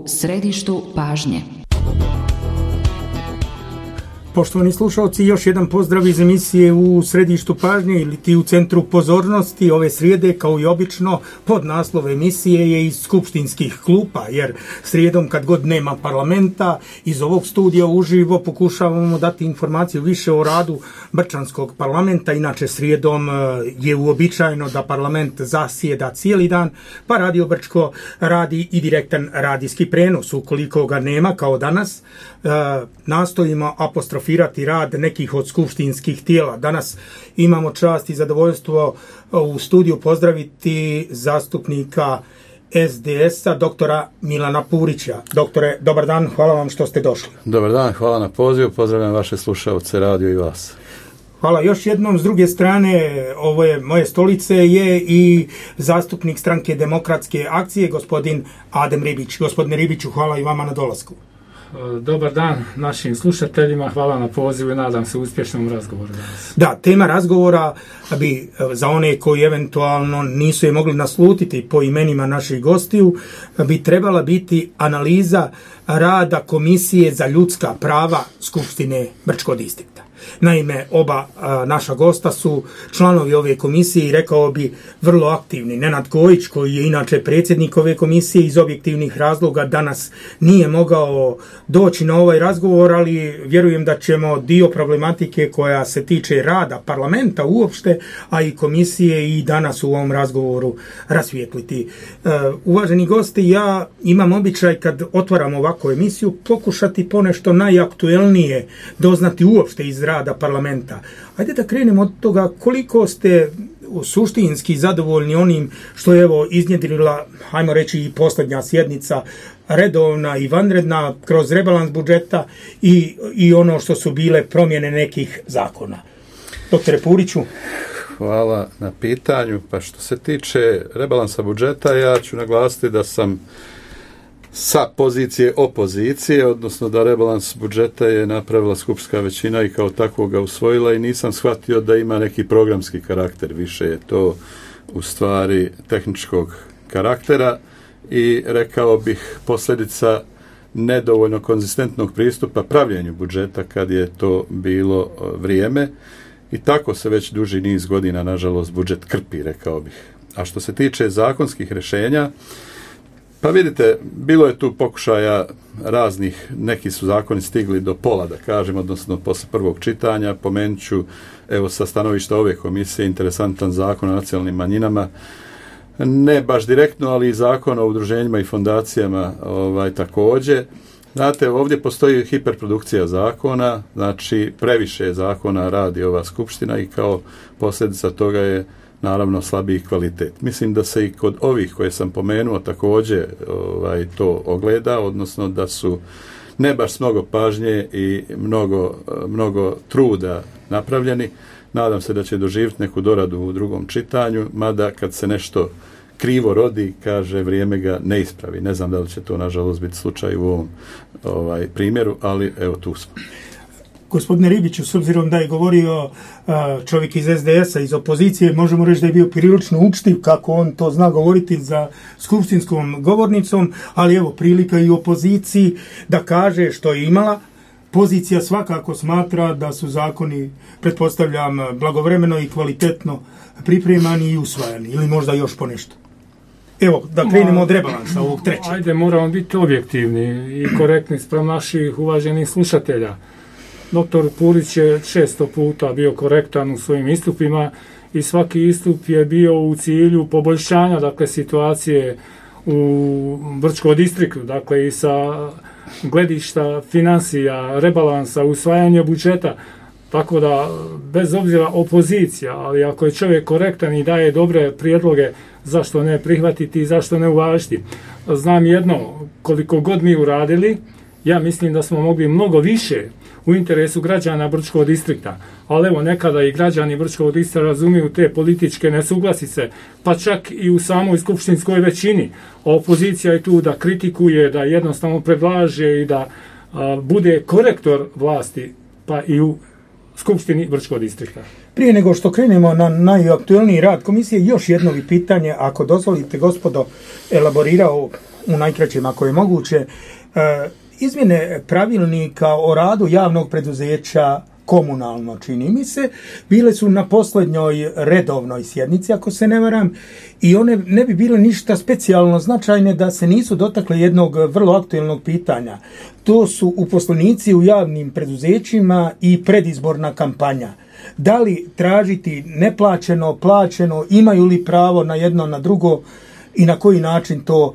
središtu pažnje. Poštovani slušalci, još jedan pozdrav iz emisije U središtu pažnje ili ti u centru pozornosti. Ove srijede, kao i obično, pod naslov emisije je iz skupštinskih klupa, jer srijedom kad god nema parlamenta, iz ovog studija uživo pokušavamo dati informaciju više o radu Brčanskog parlamenta. Inače, srijedom je uobičajeno da parlament zasjeda cijeli dan, pa Radio Brčko radi i direktan radijski prenos. Ukoliko ga nema, kao danas, nastojimo apostrofirati rad nekih od skupštinskih tijela. Danas imamo čast i zadovoljstvo u studiju pozdraviti zastupnika SDS-a, doktora Milana Purića. Doktore, dobar dan, hvala vam što ste došli. Dobar dan, hvala na pozivu, pozdravljam vaše slušalce radio i vas. Hvala još jednom. S druge strane ove moje stolice je i zastupnik Stranke demokratske akcije, gospodin Adem Ribić. Gospodine Ribiću, hvala i vama na dolasku. Dobar dan našim slušateljima, hvala na pozivu i nadam se uspješnom razgovoru danas. Da, tema razgovora bi za one koji eventualno nisu je mogli naslutiti po imenima naših gostiju, bi trebala biti analiza rada Komisije za ljudska prava Skupštine Brčkog distrikta. Naime, oba naša gosta su članovi ove komisije i rekao bi vrlo aktivni. Nenad Kojić, koji je inače predsjednik ove komisije, iz objektivnih razloga danas nije mogao doći na ovaj razgovor, ali vjerujem da ćemo dio problematike koja se tiče rada parlamenta uopšte, a i komisije i danas u ovom razgovoru rasvijetliti. Uvaženi gosti, ja imam običaj kad otvaram ovakvu emisiju pokušati ponešto najaktuelnije doznati uopšte iz rada parlamenta. Ajde da krenemo od toga koliko ste suštinski zadovoljni onim što je evo iznjedrila, hajmo reći, i posljednja sjednica redovna i vanredna kroz rebalans budžeta i ono što su bile promjene nekih zakona. Doktore Puriću. Hvala na pitanju. Pa što se tiče rebalansa budžeta, ja ću naglasiti da sam sa pozicije opozicije, odnosno da rebalans budžeta je napravila skupštinska većina i kao takvog ga usvojila i nisam shvatio da ima neki programski karakter, više je to u stvari tehničkog karaktera i rekao bih posljedica nedovoljno konzistentnog pristupa pravljenju budžeta kad je to bilo vrijeme i tako se već duži niz godina nažalost budžet krpi, rekao bih. A što se tiče zakonskih rješenja, pa vidite, bilo je tu pokušaja raznih, neki su zakoni stigli do pola, da kažem, odnosno posle prvog čitanja. Pomenut ću, evo, sa stanovišta ove komisije, interesantan zakon o nacionalnim manjinama, ne baš direktno, ali i zakon o udruženjima i fondacijama također. Znate, ovdje postoji hiperprodukcija zakona, znači previše zakona radi ova skupština i kao posljedica toga je naravno slabiji kvalitet. Mislim da se i kod ovih koje sam pomenuo također to ogleda, odnosno da su ne baš s mnogo pažnje i mnogo truda napravljeni. Nadam se da će doživjeti neku doradu u drugom čitanju, mada kad se nešto krivo rodi, kaže, vrijeme ga ne ispravi. Ne znam da li će to nažalost biti slučaj u ovom primjeru, ali evo tu smo. Gospodine Ribiću, s obzirom da je govorio čovjek iz SDS-a, iz opozicije, možemo reći da je bio prilično učtiv, kako on to zna govoriti za skupštinskom govornicom, ali evo prilika i opoziciji da kaže što je imala. Pozicija svakako smatra da su zakoni, pretpostavljam, blagovremeno i kvalitetno pripremani i usvajani, ili možda još ponešto. Evo, da krenemo od rebalansa ovog trećeg. Ajde, moramo biti objektivni i korektni spram naših uvaženih slušatelja. Doktor Purić je često puta bio korektan u svojim istupima i svaki istup je bio u cilju poboljšanja, dakle, situacije u Brčkom distriktu, dakle, i sa gledišta financija, rebalansa, usvajanja budžeta. Tako da, bez obzira opozicija, ali ako je čovjek korektan i daje dobre prijedloge, zašto ne prihvatiti i zašto ne uvažiti. Znam jedno, koliko god mi uradili, ja mislim da smo mogli mnogo više u interesu građana Brčkog distrikta. Ali evo, nekada i građani Brčkog distrikta razumiju te političke nesuglasice, pa čak i u samoj skupštinskoj većini. Opozicija je tu da kritikuje, da jednostavno predlaže i da bude korektor vlasti, pa i u Skupštini Brčkog distrikta. Prije nego što krenemo na najaktuelniji rad komisije, još jedno pitanje, ako dozvolite, gospodo, elaborirao u najkraćem ako je moguće. Izmjene pravilnika o radu javnog preduzeća komunalno, čini mi se, bile su na posljednjoj redovnoj sjednici, ako se ne varam, i one ne bi bile ništa specijalno značajne da se nisu dotakle jednog vrlo aktuelnog pitanja. To su uposlenici u javnim preduzećima i predizborna kampanja. Da li tražiti neplaćeno, plaćeno, imaju li pravo na jedno, na drugo, i na koji način to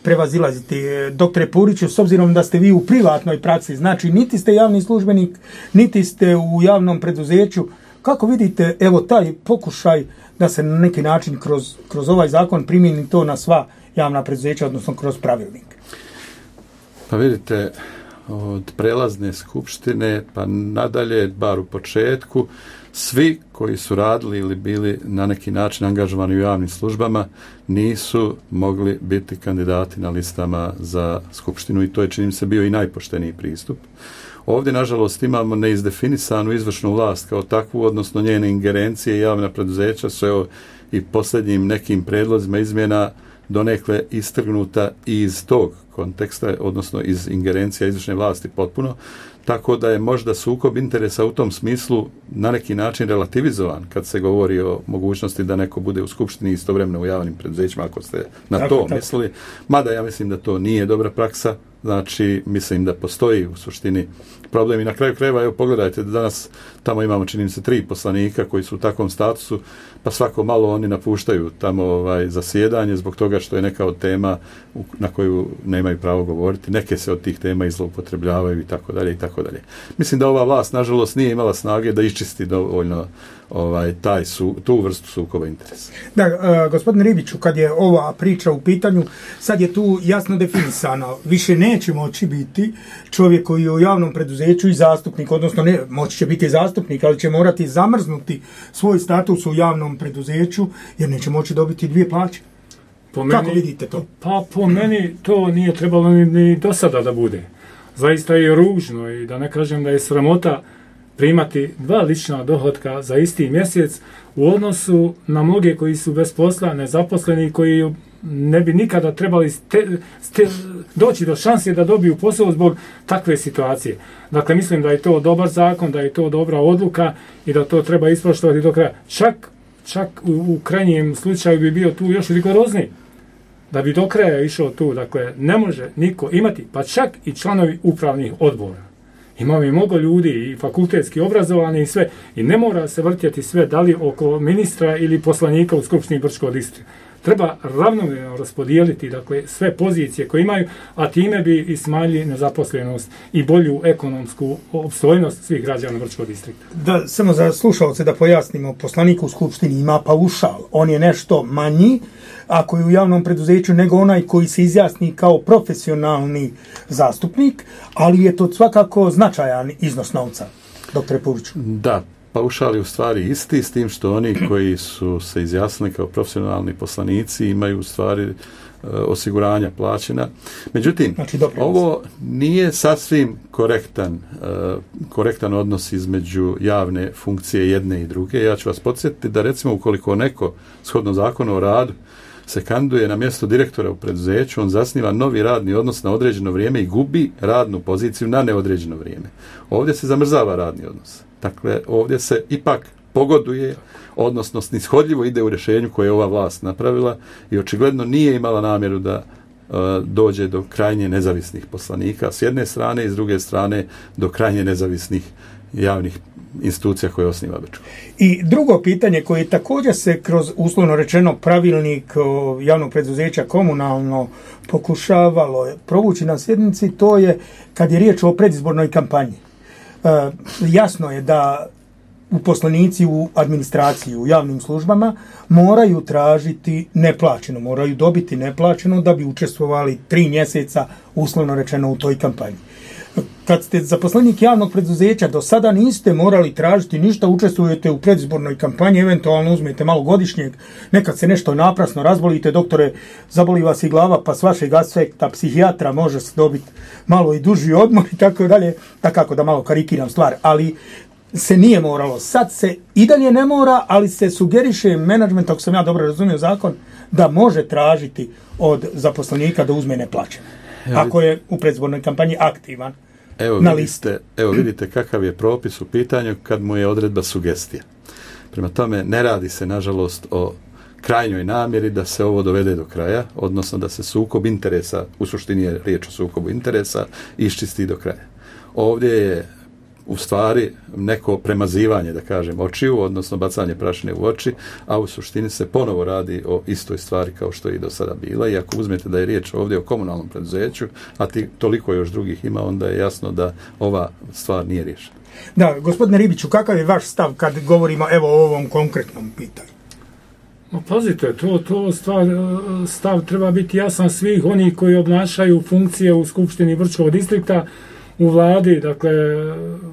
prevazilaziti? Doktore Puriću, s obzirom da ste vi u privatnoj praksi, znači niti ste javni službenik, niti ste u javnom preduzeću, kako vidite evo taj pokušaj da se na neki način kroz ovaj zakon primjeni to na sva javna preduzeća, odnosno kroz pravilnik? Pa vidite, od prelazne skupštine pa nadalje, bar u početku, svi koji su radili ili bili na neki način angažovani u javnim službama nisu mogli biti kandidati na listama za skupštinu i to je, čini mi se, bio i najpošteniji pristup. Ovdje, nažalost, imamo neizdefinisanu izvršnu vlast kao takvu, odnosno njene ingerencije i javna preduzeća su evo i posljednjim nekim predlozima izmjena donekle istrgnuta iz tog konteksta, odnosno iz ingerencija izvršne vlasti potpuno, tako da je možda sukob interesa u tom smislu na neki način relativizovan kad se govori o mogućnosti da neko bude u skupštini istovremeno u javnim preduzećima, ako ste na to mislili. Mada ja mislim da to nije dobra praksa, znači mislim da postoji u suštini problem i na kraju krajeva, evo pogledajte da danas tamo imamo, čini mi se, 3 poslanika koji su u takvom statusu, pa svako malo oni napuštaju tamo zasjedanje zbog toga što je neka od tema na koju nemaju pravo govoriti, neke se od tih tema izloupotrebljavaju i tako dalje i tako dalje. Mislim da ova vlast nažalost nije imala snage da iščisti dovoljno tu vrstu sukoba interesa. Da, gospodine Ribiću, kad je ova priča u pitanju, sad je tu jasno definisano, više neće moći biti čovjek koji je u javnom preduzeću i zastupnik, odnosno ne, moći će biti zastupnik, ali će morati zamrznuti svoj status u javnom preduzeću jer neće moći dobiti 2 plaće. Kako vidite to? Pa po meni to nije trebalo ni do sada da bude. Zaista je ružno i da ne kažem da je sramota primati 2 lična dohotka za isti mjesec u odnosu na mnoge koji su bez posla, nezaposleni, koji ne bi nikada trebali doći do šanse da dobiju posao zbog takve situacije. Dakle, mislim da je to dobar zakon, da je to dobra odluka i da to treba ispoštovati do kraja. Čak u krajnjem slučaju bi bio tu još rigorozniji. Da bi do kraja išao tu. Dakle, ne može niko imati, pa čak i članovi upravnih odbora. Imamo i mnogo ljudi i fakultetski obrazovani i sve. I ne mora se vrtjeti sve da li oko ministra ili poslanika u Skupštini Brčkog distrikta. Treba ravnomjerno raspodijeliti, dakle, sve pozicije koje imaju, a time bi i smanjili nezaposlenost i bolju ekonomsku opstojnost svih građana Brčkog distrikta. Da, samo za slušalce da pojasnimo, poslanik u Skupštini ima paušal. On je nešto manji ako je u javnom preduzeću nego onaj koji se izjasni kao profesionalni zastupnik, ali je to svakako značajan iznos novca, doktore Puriću. Da, paušal je u stvari isti, s tim što oni koji su se izjasnili kao profesionalni poslanici imaju u stvari osiguranja plaćena. Međutim, znači, ovo nije sasvim korektan odnos između javne funkcije jedne i druge. Ja ću vas podsjetiti da recimo ukoliko neko shodno zakonu o radu se kandiduje na mjesto direktora u preduzeću, on zasniva novi radni odnos na određeno vrijeme i gubi radnu poziciju na neodređeno vrijeme. Ovdje se zamrzava radni odnos. Dakle, ovdje se ipak pogoduje, odnosno snishodljivo ide u rješenju koje je ova vlast napravila i očigledno nije imala namjeru da dođe do krajnje nezavisnih poslanika s jedne strane i s druge strane do krajnje nezavisnih javnih institucija koje osniva Brčko. I drugo pitanje koje također se kroz uslovno rečeno pravilnik javnog preduzeća komunalno pokušavalo provući na sjednici, to je kad je riječ o predizbornoj kampanji. Jasno je da uposlenici u administraciji, u javnim službama moraju tražiti neplaćeno, moraju dobiti neplaćeno da bi učestvovali 3 mjeseca uslovno rečeno u toj kampanji. Kad ste zaposlenik javnog preduzeća, do sada niste morali tražiti ništa, učestvujete u predizbornoj kampanji, eventualno uzmete malo godišnjeg, nekad se nešto naprasno razbolite, doktore, zaboli vas i glava, pa s vašeg aspekta psihijatra može se dobiti malo i duži odmor i tako dalje, takako da malo karikiram stvar, ali se nije moralo. Sad se i dalje ne mora, ali se sugeriše menadžment, ako sam ja dobro razumio zakon, da može tražiti od zaposlenika da uzme neplaćeno. Ako je u predizbornoj kampanji aktivan na listi. Evo vidite kakav je propis u pitanju kad mu je odredba sugestija. Prema tome, ne radi se, nažalost, o krajnjoj namjeri da se ovo dovede do kraja, odnosno da se sukob interesa, u suštini je riječ o sukobu interesa, iščisti do kraja. Ovdje je u stvari neko premazivanje, da kažem, očiju, odnosno bacanje prašine u oči, a u suštini se ponovo radi o istoj stvari kao što je i do sada bila. I ako uzmete da je riječ ovdje o komunalnom preduzeću, a toliko još drugih ima, onda je jasno da ova stvar nije riješena. Da, gospodine Ribiću, kakav je vaš stav kad govorimo evo o ovom konkretnom pitanju? Pazite, to stav treba biti jasan svih onih koji obnašaju funkcije u Skupštini Brčkog distrikta, u vladi, dakle,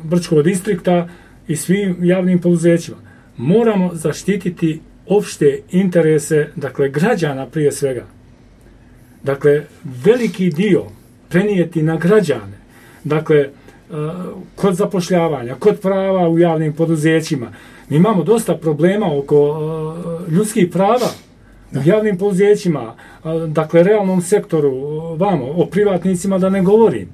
Brčkog distrikta i svim javnim poduzećima. Moramo zaštititi opšte interese, dakle, građana prije svega. Dakle, veliki dio prenijeti na građane. Dakle, kod zapošljavanja, kod prava u javnim poduzećima. Mi imamo dosta problema oko ljudskih prava u javnim poduzećima, dakle, realnom sektoru, o privatnicima da ne govorim.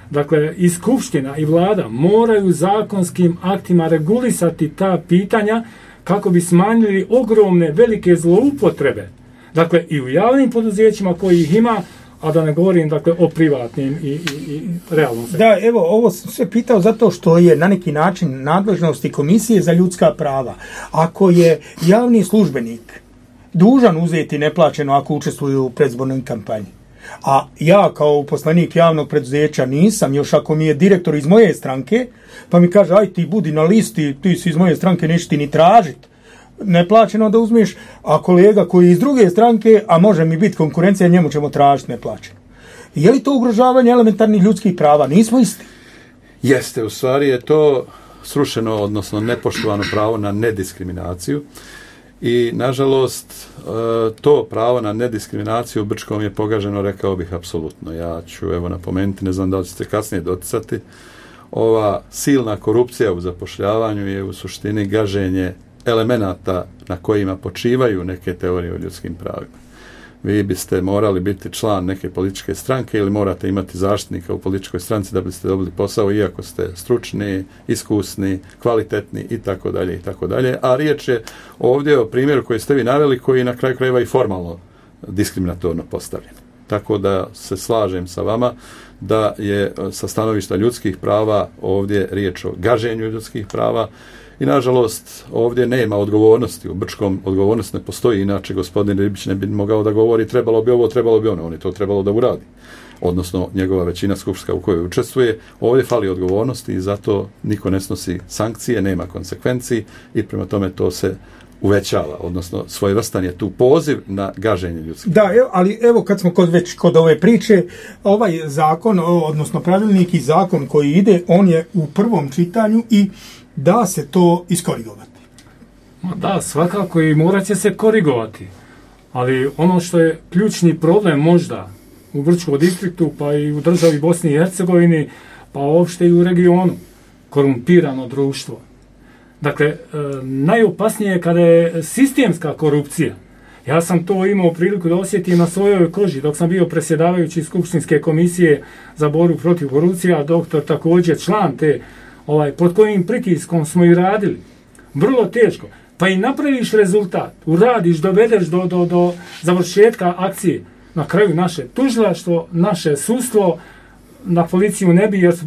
Dakle, i Skupština i vlada moraju zakonskim aktima regulisati ta pitanja kako bi smanjili ogromne, velike zloupotrebe. Dakle, i u javnim poduzećima koji ih ima, a da ne govorim, dakle, o privatnim i realnom sektoru. Da, evo, ovo sam sve pitao zato što je na neki način nadležnosti Komisije za ljudska prava. Ako je javni službenik dužan uzeti neplaćeno ako učestvuje u predizbornoj kampanji, a ja kao uposlenik javnog preduzeća nisam, još ako mi je direktor iz moje stranke, pa mi kaže, aj ti budi na listi, ti si iz moje stranke, neće ti ni tražiti neplaćeno da uzmeš, a kolega koji je iz druge stranke, a može mi biti konkurencija, njemu ćemo tražiti neplaćeno. Je li to ugrožavanje elementarnih ljudskih prava? Nismo isti. Jeste, u stvari je to srušeno, odnosno nepoštovano pravo na nediskriminaciju. I, nažalost, to pravo na nediskriminaciju u Brčkom je pogaženo, rekao bih, apsolutno. Ja ću, evo, napomenuti, ne znam da li ćete kasnije doticati, ova silna korupcija u zapošljavanju je u suštini gaženje elemenata na kojima počivaju neke teorije o ljudskim pravima. Vi biste morali biti član neke političke stranke ili morate imati zaštitnika u političkoj stranci da biste dobili posao, iako ste stručni, iskusni, kvalitetni i tako dalje i tako dalje. A riječ je ovdje o primjeru koji ste vi naveli, koji na kraju krajeva i formalno diskriminatorno postavljen. Tako da se slažem sa vama da je sa stanovišta ljudskih prava ovdje riječ o gaženju ljudskih prava. I, nažalost, ovdje nema odgovornosti. U Brčkom odgovornost ne postoji, inače gospodin Ribić ne bi mogao da govori trebalo bi ovo, trebalo bi ono. On je to trebalo da uradi. Odnosno, njegova većina skupštinska u kojoj učestvuje. Ovdje fali odgovornosti i zato niko ne snosi sankcije, nema konsekvenciji i prema tome to se uvećava. Odnosno, svojevrstan je tu poziv na gaženje ljudskih. Da, ali evo kad smo već kod ove priče, ovaj zakon, odnosno pravilnik i zakon koji ide, on je u prvom čitanju i da se to iskorigovati. Da, svakako i morat će se korigovati. Ali ono što je ključni problem možda u Brčkom distriktu, pa i u državi Bosni i Hercegovini, pa uopšte i u regionu, korumpirano društvo. Dakle, najopasnije je kada je sistemska korupcija. Ja sam to imao priliku da osjetim na svojoj koži dok sam bio predsjedavajući Skupštinske komisije za borbu protiv korupcije, a doktor također član te, pod kojim pritiskom smo i radili. Vrlo teško. Pa i napraviš rezultat, uradiš, dovedeš do završetka akcije. Na kraju naše tužilaštvo, naše sudstvo, na policiju ne bi, jer su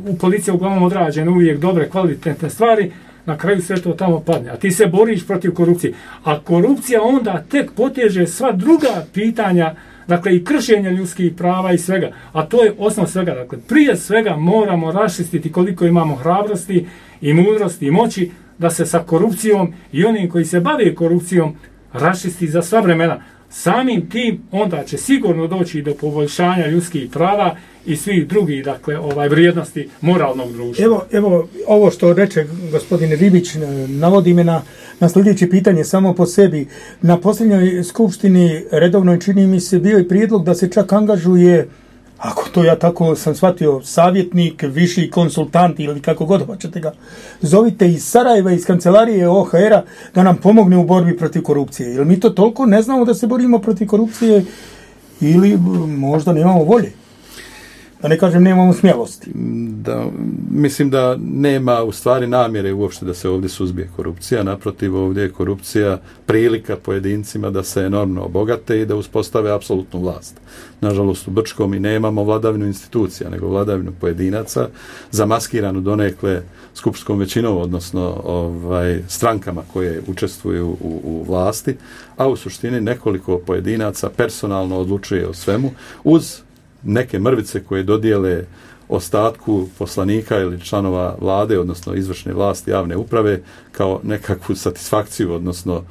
u policiji uglavnom odrađene uvijek dobre, kvalitetne stvari, na kraju sve to tamo padne. A ti se boriš protiv korupcije. A korupcija onda tek poteže sva druga pitanja, dakle i kršenje ljudskih prava i svega. A to je osnov svega. Dakle, prije svega moramo raščistiti koliko imamo hrabrosti i mudrosti i moći da se sa korupcijom i onim koji se bave korupcijom raščisti za sva vremena. Samim tim onda će sigurno doći do poboljšanja ljudskih prava i svih drugih, dakle, vrijednosti moralnog društva. Evo ovo što reče gospodin Ribić navodi me na sljedeće pitanje samo po sebi. Na posljednjoj skupštini redovnoj, čini mi se, bio i prijedlog da se čak angažuje ako to ja tako sam shvatio, savjetnik, viši konsultant ili kako god hoćete ga, zovite iz Sarajeva, iz kancelarije OHR-a da nam pomogne u borbi protiv korupcije. Jer mi to toliko ne znamo da se borimo protiv korupcije ili možda nemamo volje. Da ne kažem, nemamo smjelosti. Da, mislim da nema u stvari namjere uopšte da se ovdje suzbije korupcija. Naprotiv, ovdje je korupcija prilika pojedincima da se enormno obogate i da uspostave apsolutnu vlast. Nažalost, u Brčkom mi nemamo vladavinu institucija, nego vladavinu pojedinaca, zamaskiranu donekle skupštskom većinom, odnosno strankama koje učestvuju u vlasti, a u suštini nekoliko pojedinaca personalno odlučuje o svemu, uz neke mrvice koje dodijele ostatku poslanika ili članova vlade, odnosno izvršne vlasti javne uprave, kao nekakvu satisfakciju, odnosno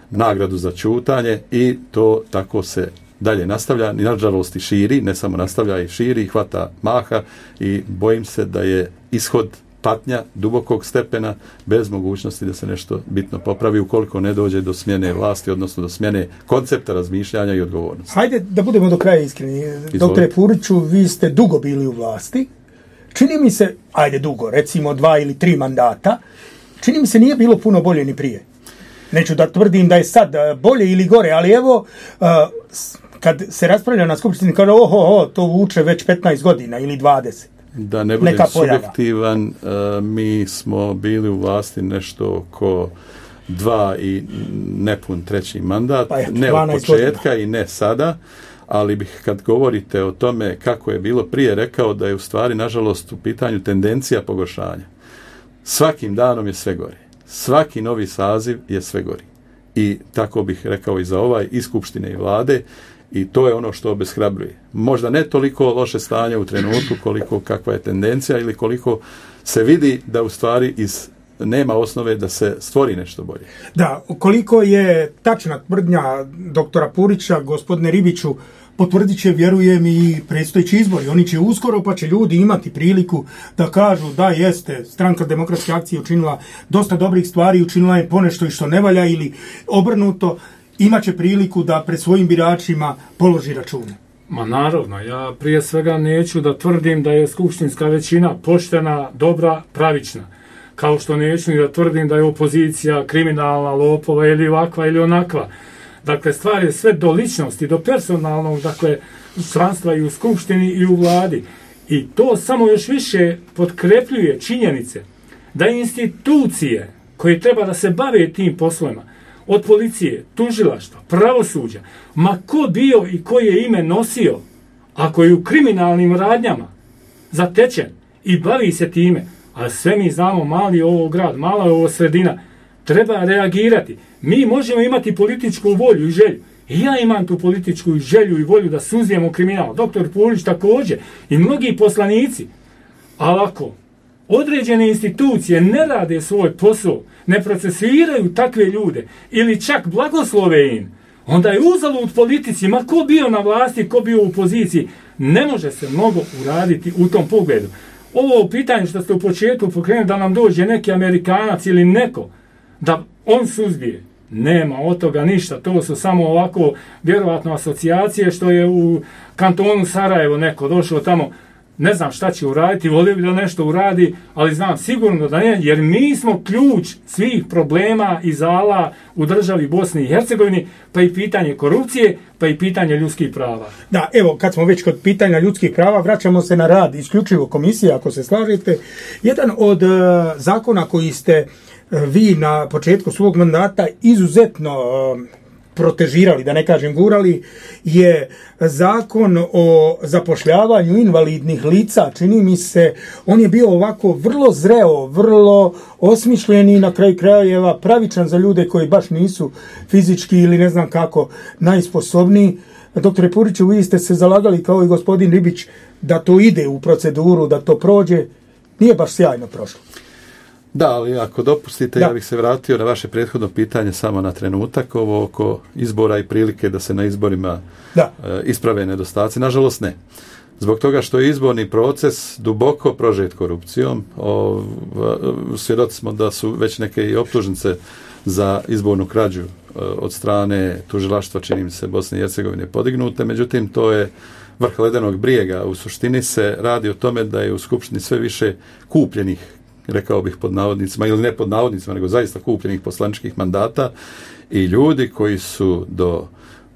nagradu za ćutanje, i to tako se dalje nastavlja, i nažalost i širi, ne samo nastavlja, i širi, i hvata maha, i bojim se da je ishod patnja dubokog stepena bez mogućnosti da se nešto bitno popravi ukoliko ne dođe do smjene vlasti, odnosno do smjene koncepta razmišljanja i odgovornosti. Hajde da budemo do kraja iskreni. Doktore Puriću, vi ste dugo bili u vlasti. Čini mi se, ajde dugo, recimo 2 ili 3 mandata, čini mi se nije bilo puno bolje ni prije. Neću da tvrdim da je sad bolje ili gore, ali evo, kad se raspravlja na skupštini, kaže to vuče već 15 godina ili 20. Da ne budem subjektivan, mi smo bili u vlasti nešto oko 2 i nepun 3. mandat, ne od početka i ne sada, ali bih, kad govorite o tome kako je bilo prije, rekao da je u stvari, nažalost, u pitanju tendencija pogoršanja. Svakim danom je sve gori. Svaki novi saziv je sve gori. I tako bih rekao i za ovaj, i skupštine i vlade, i to je ono što obeshrabruje. Možda ne toliko loše stanje u trenutku koliko kakva je tendencija ili koliko se vidi da u stvari nema osnove da se stvori nešto bolje. Da, koliko je tačna tvrdnja doktora Purića, gospodine Ribiću, potvrdit će, vjerujem, i predstojeći izbori. Oni će uskoro, pa će ljudi imati priliku da kažu da jeste, Stranka demokratske akcije učinila dosta dobrih stvari, učinila je ponešto i što ne valja, ili obrnuto, imat će priliku da pred svojim biračima položi račune. Ma naravno, ja prije svega neću da tvrdim da je skupštinska većina poštena, dobra, pravična. Kao što neću ni da tvrdim da je opozicija kriminalna, lopova ili ovakva ili onakva. Dakle, stvar je sve do ličnosti, do personalnog, dakle, članstva i u skupštini i u vladi. I to samo još više potkrepljuje činjenice da institucije koje treba da se bave tim poslovima, od policije, tužilaštva, pravosuđa, ma ko bio i koje ime nosio, ako je u kriminalnim radnjama zatečen i bavi se time, a sve mi znamo, mali je ovo grad, mala je ovo sredina, treba reagirati. Mi možemo imati političku volju i želju. I ja imam tu političku želju i volju da suzbijemo kriminal. Doktor Purić također i mnogi poslanici. Ali ako određene institucije ne rade svoj posao, ne procesuiraju takve ljude ili čak blagoslove im, onda je uzalud politici, ma ko bio na vlasti, ko bio u poziciji, ne može se mnogo uraditi u tom pogledu. Ovo pitanje što ste u početku pokrenuli da nam dođe neki Amerikanac ili neko, da on suzbije, nema od toga ništa, to su samo ovako vjerovatno asocijacije što je u kantonu Sarajevo neko došao tamo, ne znam šta će uraditi, volio bi da nešto uradi, ali znam sigurno da ne, jer mi smo ključ svih problema i zala u državi Bosni i Hercegovini, pa i pitanje korupcije, pa i pitanje ljudskih prava. Da, evo, kad smo već kod pitanja ljudskih prava, vraćamo se na rad isključivo komisije, ako se slažete. Jedan od zakona koji ste vi na početku svog mandata izuzetno protežirali, da ne kažem gurali, je zakon o zapošljavanju invalidnih lica. Čini mi se, on je bio ovako vrlo zreo, vrlo osmišljen i na kraju krajeva pravičan za ljude koji baš nisu fizički ili ne znam kako najsposobniji. Doktore Puriću, vi ste se zalagali kao i gospodin Ribić da to ide u proceduru, da to prođe. Nije baš sjajno prošlo. Da, ali ako dopustite, ja bih se vratio na vaše prethodno pitanje samo na trenutak, ovo oko izbora i prilike da se na izborima isprave nedostaci. Nažalost ne. Zbog toga što je izborni proces duboko prožet korupcijom, svjedoci smo da su već neke i optužnice za izbornu krađu od strane tužilaštva, čini mi se, Bosne i Hercegovine podignute, međutim to je vrh ledenog brijega. U suštini se radi o tome da je u Skupštini sve više kupljenih, rekao bih pod navodnicima, ili ne pod navodnicima, nego zaista kupljenih poslaničkih mandata i ljudi koji su do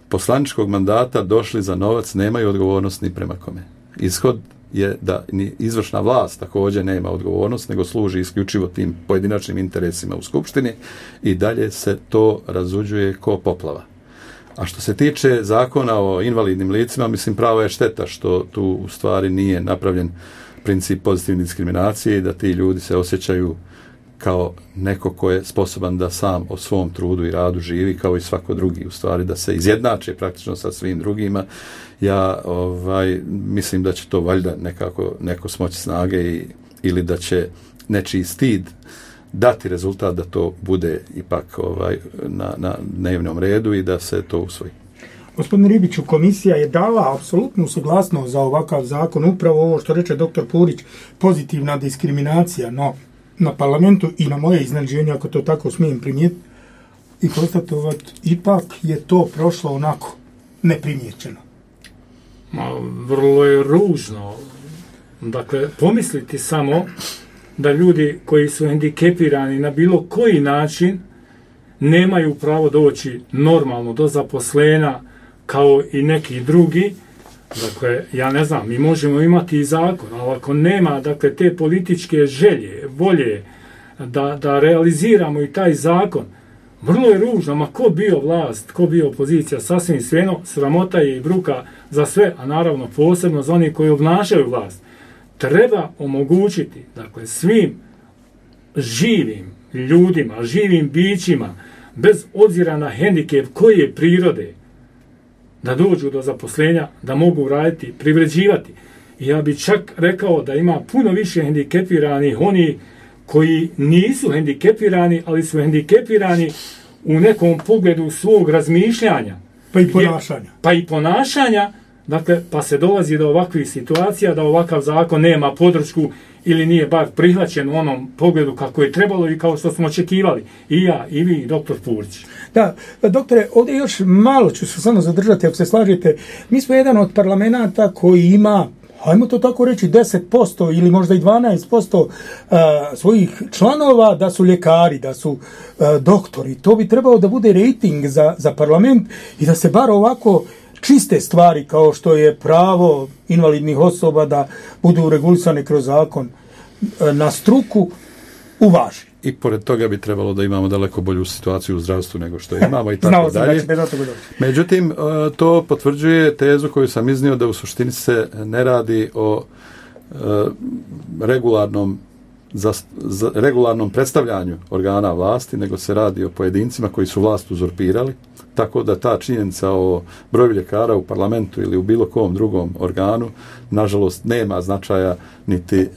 poslaničkog mandata došli za novac nemaju odgovornost ni prema kome. Ishod je da ni izvršna vlast također nema odgovornost, nego služi isključivo tim pojedinačnim interesima u Skupštini i dalje se to razuđuje ko poplava. A što se tiče zakona o invalidnim licima, mislim prava je šteta što tu u stvari nije napravljen princip pozitivne diskriminacije i da ti ljudi se osjećaju kao neko ko je sposoban da sam o svom trudu i radu živi kao i svako drugi, u stvari da se izjednače praktično sa svim drugima. Ja mislim da će to valjda neko smoći snage ili da će nečiji stid dati rezultat da to bude ipak na dnevnom redu i da se to usvoji. Gospodine Ribiću, komisija je dala apsolutnu suglasnost za ovakav zakon, upravo ovo što reče dr. Purić, pozitivna diskriminacija, no na parlamentu i na moje iznenađenje, ako to tako smijem primijetiti i konstatovati, ipak je to prošlo onako neprimjećeno. Vrlo je ružno. Dakle, pomisliti samo da ljudi koji su hendikepirani na bilo koji način nemaju pravo doći normalno do zaposlenja kao i neki drugi. Dakle, ja ne znam, mi možemo imati i zakon, ali ako nema, dakle, te političke želje, volje da realiziramo i taj zakon, vrlo je ružno, ma ko bio vlast, ko bio opozicija, sasvim svejedno, sramota je i bruka za sve, a naravno posebno za oni koji obnašaju vlast. Treba omogućiti, dakle, svim živim ljudima, živim bićima, bez obzira na hendikep koje prirode, da dođu do zaposlenja, da mogu raditi, privređivati. I ja bih čak rekao da ima puno više hendikepiranih oni koji nisu hendikepirani, ali su hendikepirani u nekom pogledu svog razmišljanja. Pa i ponašanja. Dakle, pa se dolazi do ovakvih situacija da ovakav zakon nema podršku ili nije bar prihvaćen u onom pogledu kako je trebalo i kao što smo očekivali. I ja, i vi, i doktor Purić. Da, doktore, ovdje još malo ću se samo zadržati, ako se slažete. Mi smo jedan od parlamenta koji ima, hajmo to tako reći, 10% ili možda i 12% svojih članova da su ljekari, da su doktori. To bi trebalo da bude rejting za parlament i da se bar ovako čiste stvari kao što je pravo invalidnih osoba da budu regulisane kroz zakon na struku uvaži. I pored toga bi trebalo da imamo daleko bolju situaciju u zdravstvu nego što imamo i tako dalje. Međutim, to potvrđuje tezu koju sam iznio da u suštini se ne radi o regularnom predstavljanju organa vlasti, nego se radi o pojedincima koji su vlast uzurpirali, tako da ta činjenica o broju ljekara u parlamentu ili u bilo kom drugom organu, nažalost, nema značaja niti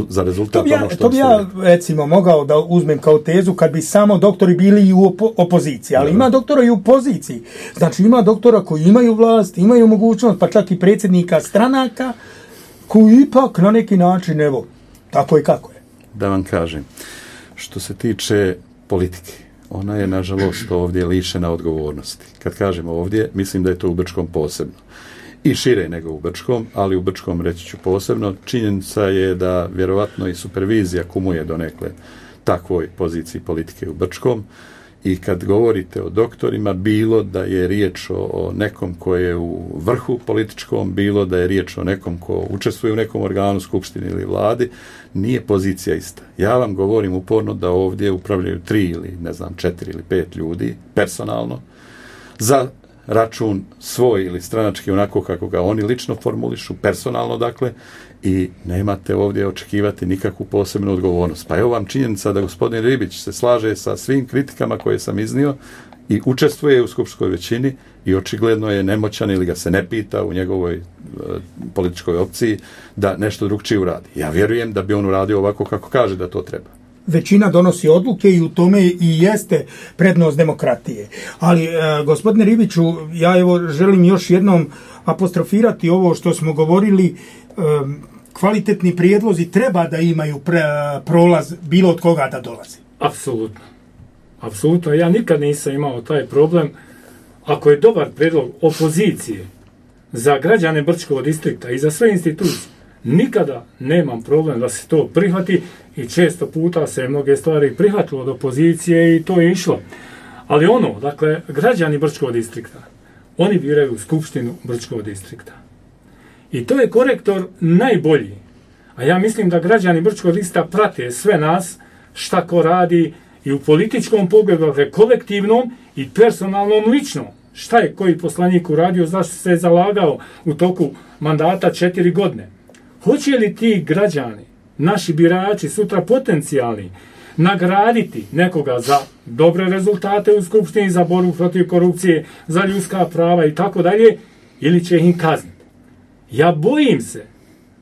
za rezultat ono što to bi ja, recimo, mogao da uzmem kao tezu kad bi samo doktori bili i u opoziciji, ali ima doktora i u poziciji. Znači, ima doktora koji imaju vlast, imaju mogućnost, pa čak i predsjednika stranaka, koji ipak na neki način, evo, tako je kako je. Da vam kažem, što se tiče politike, ona je, nažalost, ovdje lišena odgovornosti. Kad kažemo ovdje, mislim da je to u Brčkom posebno. I šire nego u Brčkom, ali u Brčkom reći ću posebno. Činjenica je da vjerovatno i supervizija kumuje donekle takvoj poziciji politike u Brčkom. I kad govorite o doktorima, bilo da je riječ o nekom ko je u vrhu političkom, bilo da je riječ o nekom ko učestvuje u nekom organu, skupštini ili vladi, nije pozicija ista. Ja vam govorim uporno da ovdje upravljaju 3 ili 4 ili 5 ljudi personalno za račun svoj ili stranački onako kako ga oni lično formulišu, personalno dakle, i nemate ovdje očekivati nikakvu posebnu odgovornost. Pa evo vam činjenica da gospodin Ribić se slaže sa svim kritikama koje sam iznio i učestvuje u skupštinskoj većini i očigledno je nemoćan ili ga se ne pita u njegovoj političkoj opciji da nešto drugčije uradi. Ja vjerujem da bi on uradio ovako kako kaže da to treba. Većina donosi odluke i u tome i jeste prednost demokratije. Ali, gospodine Ribiću, ja evo želim još jednom apostrofirati ovo što smo govorili, kvalitetni prijedlozi treba da imaju prolaz bilo od koga da dolazi. Apsolutno. Apsolutno. Ja nikad nisam imao taj problem. Ako je dobar prijedlog opozicije, za građane Brčkog distrikta i za sve institucije nikada nemam problem da se to prihvati i često puta se mnoge stvari prihvatilo od opozicije i to je išlo. Ali dakle, građani Brčkog distrikta, oni biraju skupštinu Brčkog distrikta. I to je korektor najbolji. A ja mislim da građani Brčkog distrikta prate sve nas, šta ko radi i u političkom pogledu, dakle kolektivnom i personalnom ličnom. Šta je koji poslanik uradio, zašto se je zalagao u toku mandata 4 godine. Hoće li ti građani, naši birači, sutra potencijalni, nagraditi nekoga za dobre rezultate u skupštini, za borbu protiv korupcije, za ljudska prava i tako dalje, ili će ih kazniti? Ja bojim se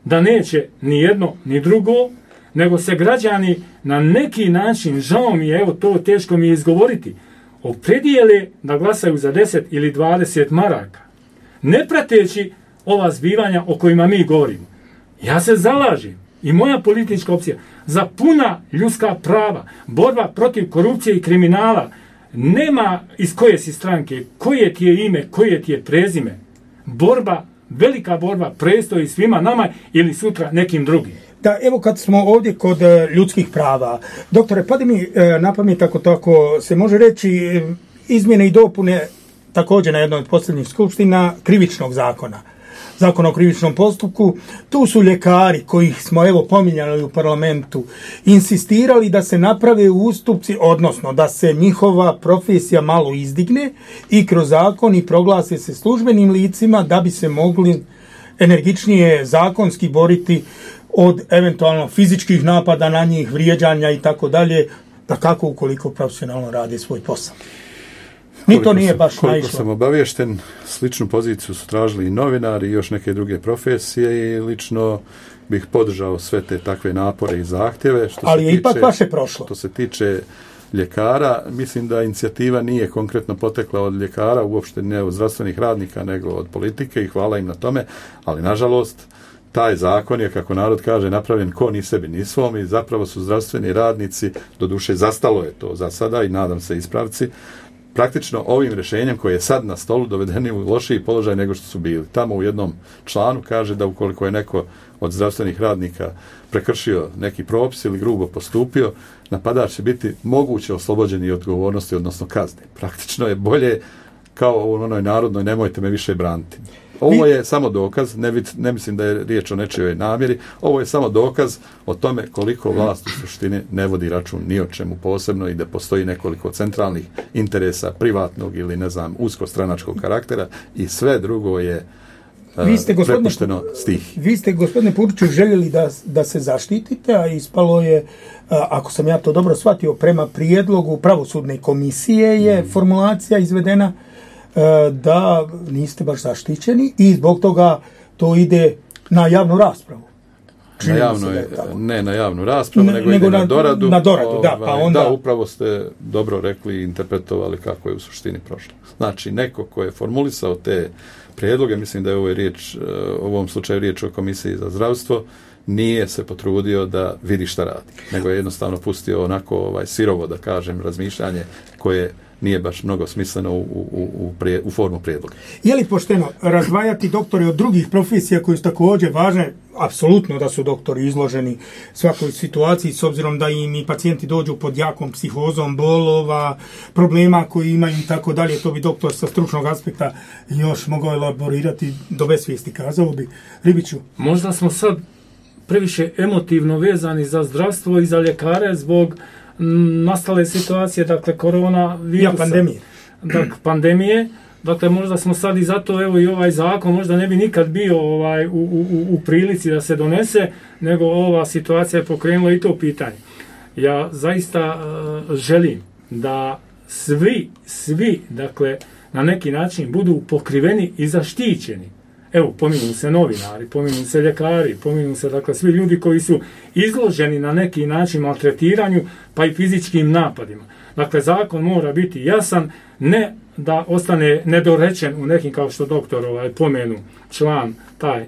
da neće ni jedno ni drugo, nego se građani na neki način, žao mi je, evo to teško mi je izgovoriti, opredijele da glasaju za 10 ili 20 maraka, ne prateći ova zbivanja o kojima mi govorimo. Ja se zalažem i moja politička opcija za puna ljudska prava, borba protiv korupcije i kriminala. Nema iz koje si stranke, koje ti je ime, koje ti je prezime. Borba, velika borba prestoji svima nama ili sutra nekim drugim. Da, evo kad smo ovdje kod ljudskih prava, doktore, pade mi na pamet ako tako se može reći izmjene i dopune također na jednoj od posljednjih skupština krivičnog zakona. Zakon o krivičnom postupku, tu su ljekari kojih smo evo pominjali u parlamentu insistirali da se naprave ustupci, odnosno da se njihova profesija malo izdigne i kroz zakon i proglase se službenim licima da bi se mogli energičnije zakonski boriti od eventualno fizičkih napada na njih, vrijeđanja i tako dalje, da kako ukoliko profesionalno rade svoj posao. Ni to nije baš naišlo. Koliko sam obaviješten, sličnu poziciju su tražili i novinari i još neke druge profesije i lično bih podržao sve te takve napore i zahtjeve. Ali je ipak vaše prošlo. Što se tiče ljekara, mislim da inicijativa nije konkretno potekla od ljekara, uopšte ne od zdravstvenih radnika, nego od politike i hvala im na tome, ali nažalost taj zakon je, kako narod kaže, napravljen ko ni sebi ni svom i zapravo su zdravstveni radnici, doduše zastalo je to za sada i nadam se ispravci, praktično ovim rješenjem koje je sad na stolu dovedeni u lošiji položaj nego što su bili. Tamo u jednom članu kaže da ukoliko je neko od zdravstvenih radnika prekršio neki propis ili grubo postupio, napadač će biti moguće oslobođeni odgovornosti, odnosno kazne. Praktično je bolje kao u onoj narodnoj nemojte me više braniti. Ovo je samo dokaz, ne mislim da je riječ o nečijoj namjeri, ovo je samo dokaz o tome koliko vlast u suštini ne vodi račun ni o čemu posebno i da postoji nekoliko centralnih interesa privatnog ili uskostranačkog karaktera i sve drugo je prepušteno stih. Vi ste, gospodine Puriću, željeli da se zaštitite, a ispalo je, ako sam ja to dobro shvatio, prema prijedlogu pravosudne komisije je formulacija izvedena da niste baš zaštićeni i zbog toga to ide na javnu raspravu. Ne na javnu raspravu, nego ide na doradu. Na doradu, da. Pa onda... Da, upravo ste dobro rekli i interpretovali kako je u suštini prošlo. Znači, neko ko je formulisao te prijedloge, mislim da je u ovom slučaju riječ o Komisiji za zdravstvo, nije se potrudio da vidi šta radi, nego je jednostavno pustio onako sirovo, da kažem, razmišljanje koje nije baš mnogo smisleno u formu prijedloga. Je li pošteno razdvajati doktore od drugih profesija koje su također važne? Apsolutno da su doktori izloženi svakoj situaciji, s obzirom da im i pacijenti dođu pod jakom psihozom, bolova, problema koji imaju i tako dalje. To bi doktor sa stručnog aspekta još mogao elaborirati do besvijesti, kazao bi. Ribiću. Možda smo sad previše emotivno vezani za zdravstvo i za ljekare zbog nastale situacije, dakle korona virusa, pandemije. Dakle, možda smo sad i zato, evo i ovaj zakon možda ne bi nikad bio u prilici da se donese, nego ova situacija je pokrenula i to pitanje. Ja zaista želim da svi, dakle, na neki način budu pokriveni i zaštićeni. Evo, pominju se novinari, pominju se ljekari, pominju se, dakle, svi ljudi koji su izloženi na neki način maltretiranju, pa i fizičkim napadima. Dakle, zakon mora biti jasan, ne da ostane nedorečen u nekim, kao što doktor pomenu, član taj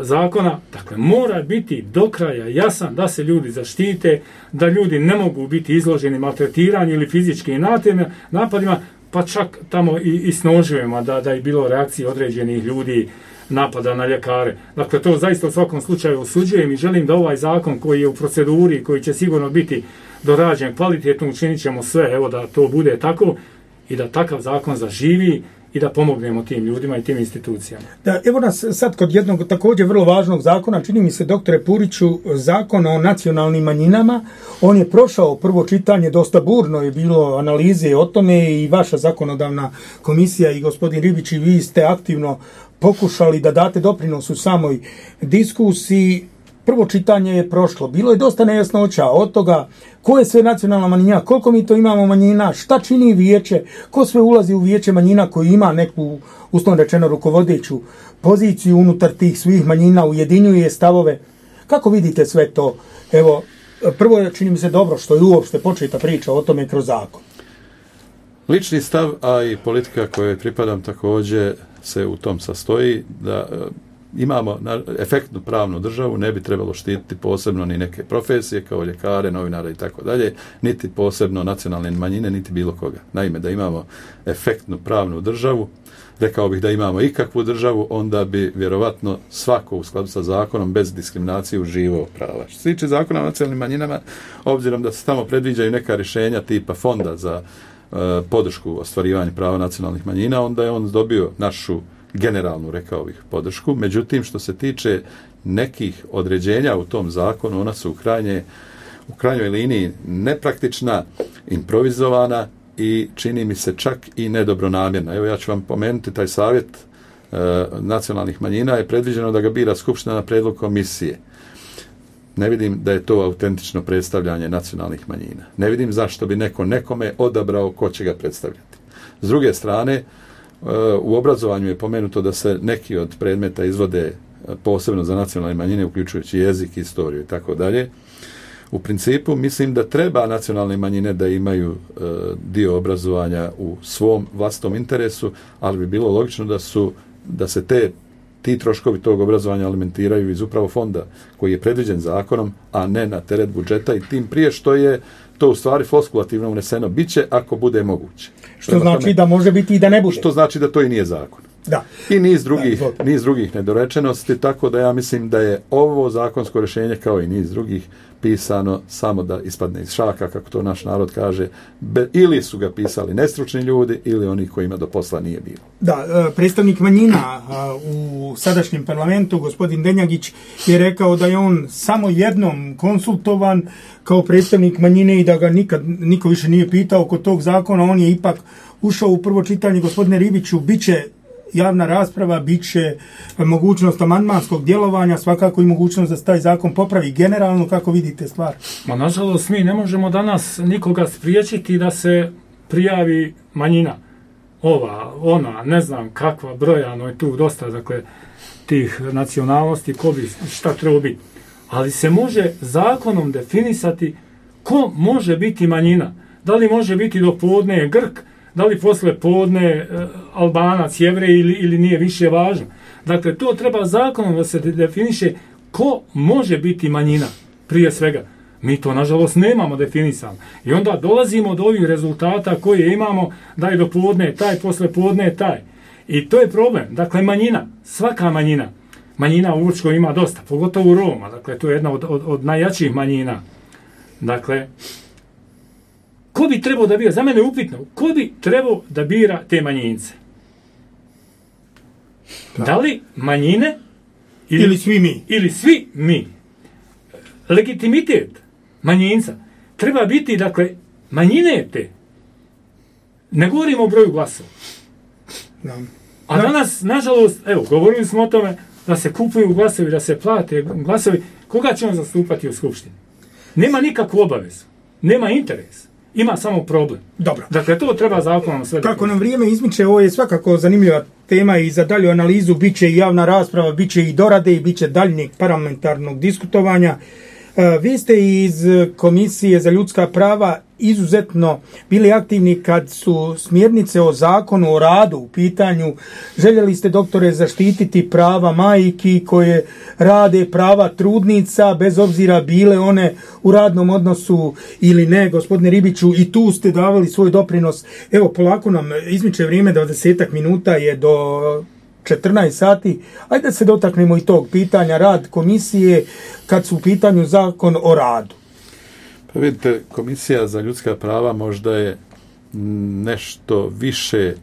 zakona. Dakle, mora biti do kraja jasan da se ljudi zaštite, da ljudi ne mogu biti izloženi maltretiranju ili fizičkim napadima, pa čak tamo i snožujemo da je bilo reakcije određenih ljudi, napada na ljekare. Dakle, to zaista u svakom slučaju osuđujem i želim da ovaj zakon koji je u proceduri, koji će sigurno biti dorađen kvalitetno, učinit ćemo sve, evo da to bude tako i da takav zakon zaživi i da pomognemo tim ljudima i tim institucijama. Da, evo nas sad kod jednog također vrlo važnog zakona, čini mi se, doktore Puriću, zakon o nacionalnim manjinama. On je prošao prvo čitanje, dosta burno je bilo analize o tome i vaša zakonodavna komisija i gospodin Ribić i vi ste aktivno pokušali da date doprinos u samoj diskusiji. Prvo čitanje je prošlo. Bilo je dosta nejasnoća od toga ko je sve nacionalna manjina, koliko mi to imamo manjina, šta čini vijeće, ko sve ulazi u vijeće manjina koji ima neku, uslovno rečeno, rukovodeću poziciju unutar tih svih manjina, ujedinjuje stavove. Kako vidite sve to? Evo, prvo je, čini mi se, dobro što je uopšte početa priča o tome kroz zakon. Lični stav, a i politika kojoj pripadam također se u tom sastoji da imamo efektnu pravnu državu, ne bi trebalo štititi posebno ni neke profesije kao ljekare, novinare i tako dalje, niti posebno nacionalne manjine, niti bilo koga. Naime, da imamo efektnu pravnu državu, rekao bih da imamo ikakvu državu, onda bi vjerovatno svako u skladu sa zakonom bez diskriminacije uživao prava. Što se tiče zakona o nacionalnim manjinama, obzirom da se tamo predviđaju neka rješenja tipa fonda za podršku ostvarivanju prava nacionalnih manjina, onda je on dobio našu generalnu, rekao bih, podršku. Međutim, što se tiče nekih određenja u tom zakonu, ona su u krajnjoj liniji nepraktična, improvizovana i čini mi se čak i nedobronamjerna. Evo, ja ću vam pomenuti taj savjet nacionalnih manjina je predviđeno da ga bira Skupština na prijedlog komisije. Ne vidim da je to autentično predstavljanje nacionalnih manjina. Ne vidim zašto bi neko nekome odabrao ko će ga predstavljati. S druge strane, u obrazovanju je pomenuto da se neki od predmeta izvode posebno za nacionalne manjine, uključujući jezik, istoriju i tako dalje. U principu mislim da treba nacionalne manjine da imaju dio obrazovanja u svom vlastitom interesu, ali bi bilo logično da se ti troškovi tog obrazovanja alimentiraju iz upravo fonda koji je predviđen zakonom, a ne na teret budžeta, i tim prije što je to u stvari floskulativno uneseno biće ako bude moguće. Što znači da može biti i da ne bude. Što znači da to i nije zakon. Da. I niz drugih nedorečenosti, tako da ja mislim da je ovo zakonsko rješenje kao i niz drugih pisano samo da ispadne iz šaka, kako to naš narod kaže, ili su ga pisali nestručni ljudi ili oni kojima do posla nije bilo. Da, predstavnik manjina u sadašnjem parlamentu, gospodin Denjagić, je rekao da je on samo jednom konsultovan kao predstavnik manjine i da ga niko više nije pitao kod tog zakona. On je ipak ušao u prvo čitanje. Gospodine Ribiću, bit će javna rasprava, bit će mogućnost amandmanskog djelovanja, svakako i mogućnost da se taj zakon popravi. Generalno, kako vidite stvar? Ma, nažalost, mi ne možemo danas nikoga spriječiti da se prijavi manjina. Ova, ona, ne znam kakva, brojano je tu dosta, dakle, tih nacionalnosti, ko bi šta treba biti. Ali se može zakonom definisati ko može biti manjina. Da li može biti do podne Grk, da li posle podne Albanac, Jevrej ili nije više važno. Dakle, to treba zakonom da se definiše ko može biti manjina, prije svega. Mi to, nažalost, nemamo definisano. I onda dolazimo do ovih rezultata koje imamo, da je do podne taj, posle podne taj. I to je problem. Dakle, manjina, svaka manjina u Učkoj ima dosta, pogotovo Roma. Dakle, to je jedna od najjačih manjina. Dakle, ko bi trebao da bira? Za mene je upitno. Ko bi trebao da bira te manjince? Da li manjine ili svi mi? Ili svi mi. Legitimitet manjinca treba biti, dakle, manjine te. Ne govorimo o broju glasova. A danas, nažalost, evo, govorili smo o tome da se kupuju glasovi, da se plate glasovi. Koga će on zastupati u Skupštini? Nema nikakvu obavezu. Nema interes. Ima samo problem. Dobro. Dakle, to treba zakonom sve. Kako nam vrijeme izmiče, ovo je svakako zanimljiva tema i za dalju analizu bit će i javna rasprava, bit će i dorade i bit će daljnjeg parlamentarnog diskutovanja. Vi ste iz Komisije za ljudska prava izuzetno bili aktivni kad su smjernice o zakonu o radu u pitanju. Željeli ste, doktore, zaštititi prava majki koje rade, prava trudnica, bez obzira bile one u radnom odnosu ili ne, gospodine Ribiću, i tu ste davali svoj doprinos. Evo, polako nam izmiče vrijeme, 20 minuta je do 14 sati. Ajde da se dotaknemo i tog pitanja, rad komisije kad su u pitanju zakon o radu. Pa vidite, Komisija za ljudska prava možda je nešto više,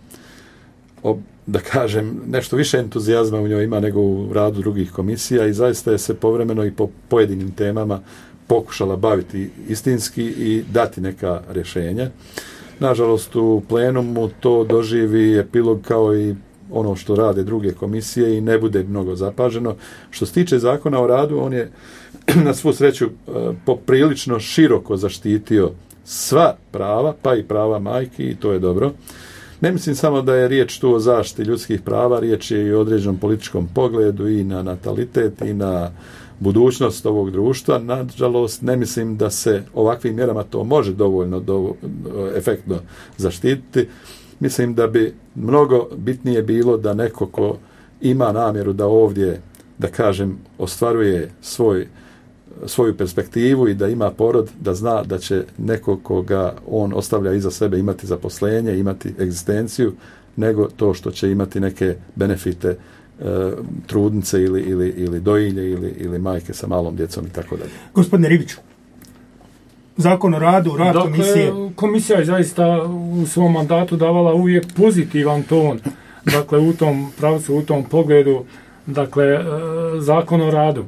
da kažem, nešto više entuzijazma u njoj ima nego u radu drugih komisija i zaista je se povremeno i po pojedinim temama pokušala baviti istinski i dati neka rješenja. Nažalost, u plenumu to doživi epilog kao i ono što rade druge komisije i ne bude mnogo zapaženo. Što se tiče zakona o radu, on je na svu sreću poprilično široko zaštitio sva prava, pa i prava majki, i to je dobro. Ne mislim samo da je riječ tu o zaštiti ljudskih prava, riječ je i o određenom političkom pogledu i na natalitet i na budućnost ovog društva. Nažalost, ne mislim da se ovakvim mjerama to može dovoljno efektno zaštititi. Mislim da bi mnogo bitnije bilo da neko ko ima namjeru da ovdje, da kažem, ostvaruje svoju perspektivu i da ima porod, da zna da će neko koga on ostavlja iza sebe imati zaposlenje, imati egzistenciju, nego to što će imati neke benefite trudnice ili dojilje ili majke sa malom djecom i tako dalje. Gospodine Ribiću, zakon o radu, rad komisije. Komisija je zaista u svom mandatu davala uvijek pozitivan ton, dakle u tom pravcu, u tom pogledu, dakle zakon o radu.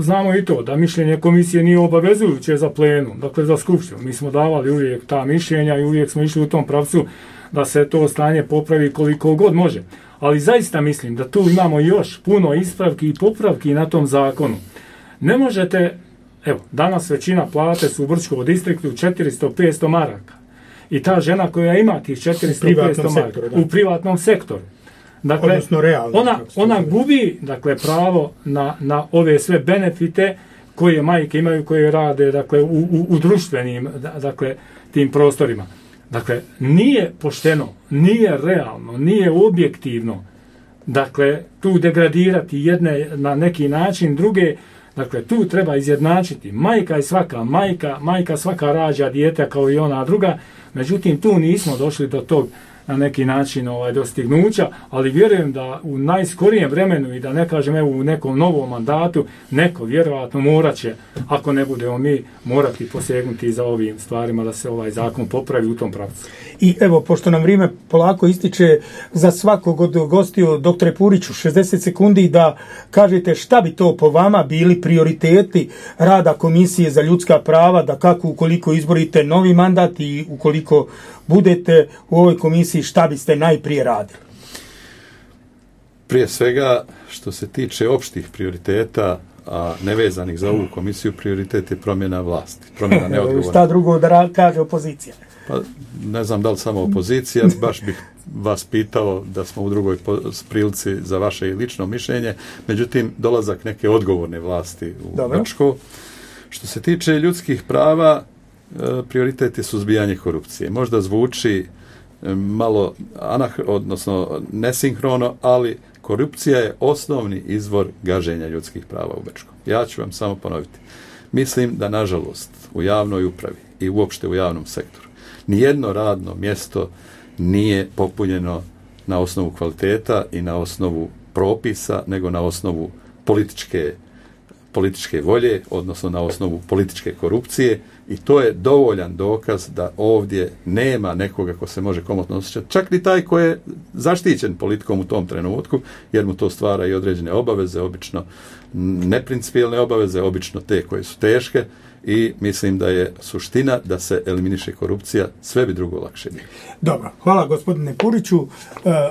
Znamo i to da mišljenje komisije nije obavezujuće za plenum, dakle za skupštinu. Mi smo davali uvijek ta mišljenja i uvijek smo išli u tom pravcu da se to stanje popravi koliko god može. Ali zaista mislim da tu imamo još puno ispravki i popravki na tom zakonu. Ne možete, evo, danas većina plate su u Brčkom distriktu 400-500 maraka. I ta žena koja ima tih 400-500 maraka u privatnom sektoru, dakle, ona gubi, dakle, pravo na ove sve benefite koje majke imaju, koje rade, dakle, u društvenim, dakle, tim prostorima. Dakle, nije pošteno, nije realno, nije objektivno, dakle, tu degradirati jedne na neki način, druge. Dakle, tu treba izjednačiti. Majka je svaka majka svaka rađa dijete kao i ona druga. Međutim, tu nismo došli do tog na neki način dostignuća, ali vjerujem da u najskorijem vremenu i da ne kažem evo u nekom novom mandatu neko vjerojatno morat će, ako ne budemo mi, morati posegnuti za ovim stvarima da se ovaj zakon popravi u tom pravcu. I evo, pošto nam vrijeme polako ističe, za svakog od gostiju, doktore Puriću, 60 sekundi da kažete šta bi to po vama bili prioriteti rada Komisije za ljudska prava, da kako ukoliko izborite novi mandat i ukoliko budete u ovoj komisiji, šta biste najprije radili? Prije svega, što se tiče opštih prioriteta, a nevezanih za ovu komisiju, prioritet je promjena vlasti, promjena neodgovornosti. Šta drugo da kaže opozicija? Pa, ne znam da li samo opozicija, baš bih vas pitao da smo u drugoj prilici za vaše lično mišljenje, međutim, dolazak neke odgovorne vlasti u Brčko. Što se tiče ljudskih prava, prioritet je suzbijanje korupcije. Možda zvuči malo odnosno nesinhrono, ali korupcija je osnovni izvor gaženja ljudskih prava u Brčkom. Ja ću vam samo ponoviti. Mislim da, nažalost, u javnoj upravi i uopšte u javnom sektoru nijedno radno mjesto nije popunjeno na osnovu kvaliteta i na osnovu propisa, nego na osnovu političke volje, odnosno na osnovu političke korupcije, i to je dovoljan dokaz da ovdje nema nekoga ko se može komotno osjećati, čak ni taj ko je zaštićen politikom u tom trenutku, jer mu to stvara i određene obaveze, obično neprincipijelne obaveze, obično te koje su teške, i mislim da je suština da se eliminiše korupcija, sve bi drugo lakše bilo. Dobro, hvala gospodine Puriću.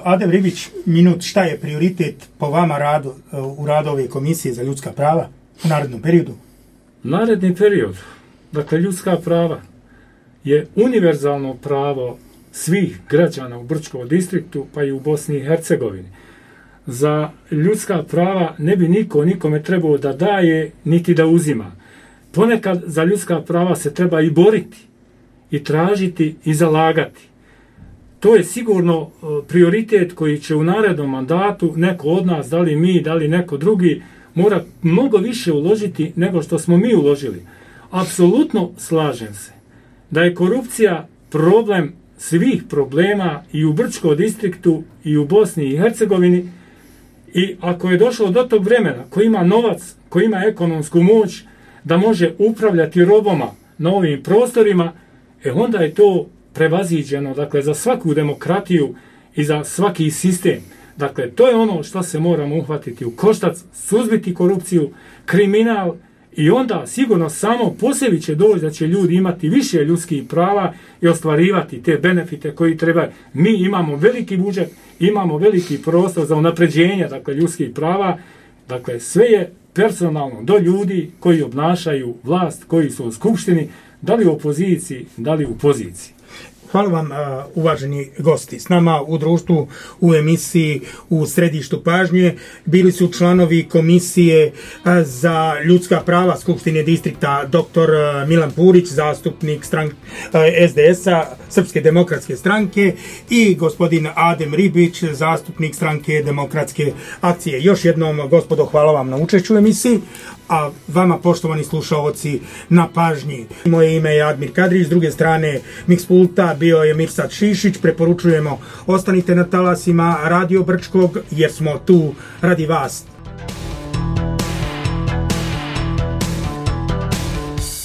Adem Ribić, minut, šta je prioritet po vama radu, u radu ove komisije za ljudska prava u narednom periodu? Naredni period, dakle ljudska prava, je univerzalno pravo svih građana u Brčkom distriktu, pa i u Bosni i Hercegovini. Za ljudska prava ne bi niko nikome trebao da daje, niti da uzima. ponekad za ljudska prava se treba i boriti, i tražiti, i zalagati. To je sigurno prioritet koji će u narednom mandatu neko od nas, da li mi, da li neko drugi, mora mnogo više uložiti nego što smo mi uložili. Apsolutno slažem se da je korupcija problem svih problema i u Brčkom distriktu i u Bosni i Hercegovini, i ako je došlo do tog vremena ko ima novac, ko ima ekonomsku moć da može upravljati robama na ovim prostorima, onda je to prevaziđeno, dakle, za svaku demokratiju i za svaki sistem. Dakle, to je ono što se moramo uhvatiti u koštac, suzbiti korupciju, kriminal, i onda sigurno samo po sebi će doći da će ljudi imati više ljudskih prava i ostvarivati te benefite koji treba. Mi imamo veliki budžet, imamo veliki prostor za unapređenje, dakle, ljudskih prava. Dakle, sve je personalno do ljudi koji obnašaju vlast, koji su u skupštini, da li u opoziciji, da li u poziciji. Hvala vam, uvaženi gosti. S nama u društvu, u emisiji U središtu pažnje bili su članovi Komisije za ljudska prava Skupštine distrikta dr. Milan Purić, zastupnik SDS-a, Srpske demokratske stranke, i gospodin Adem Ribić, zastupnik Stranke demokratske akcije. Još jednom, gospodo, hvala vam na učešću u emisiji, a vama, poštovani slušaoci, na pažnji. Moje ime je Admir Kadrić, s druge strane Mix pulta bio je Mirsad Šišić. Preporučujemo, ostanite na talasima Radio Brčkog, jer smo tu radi vas.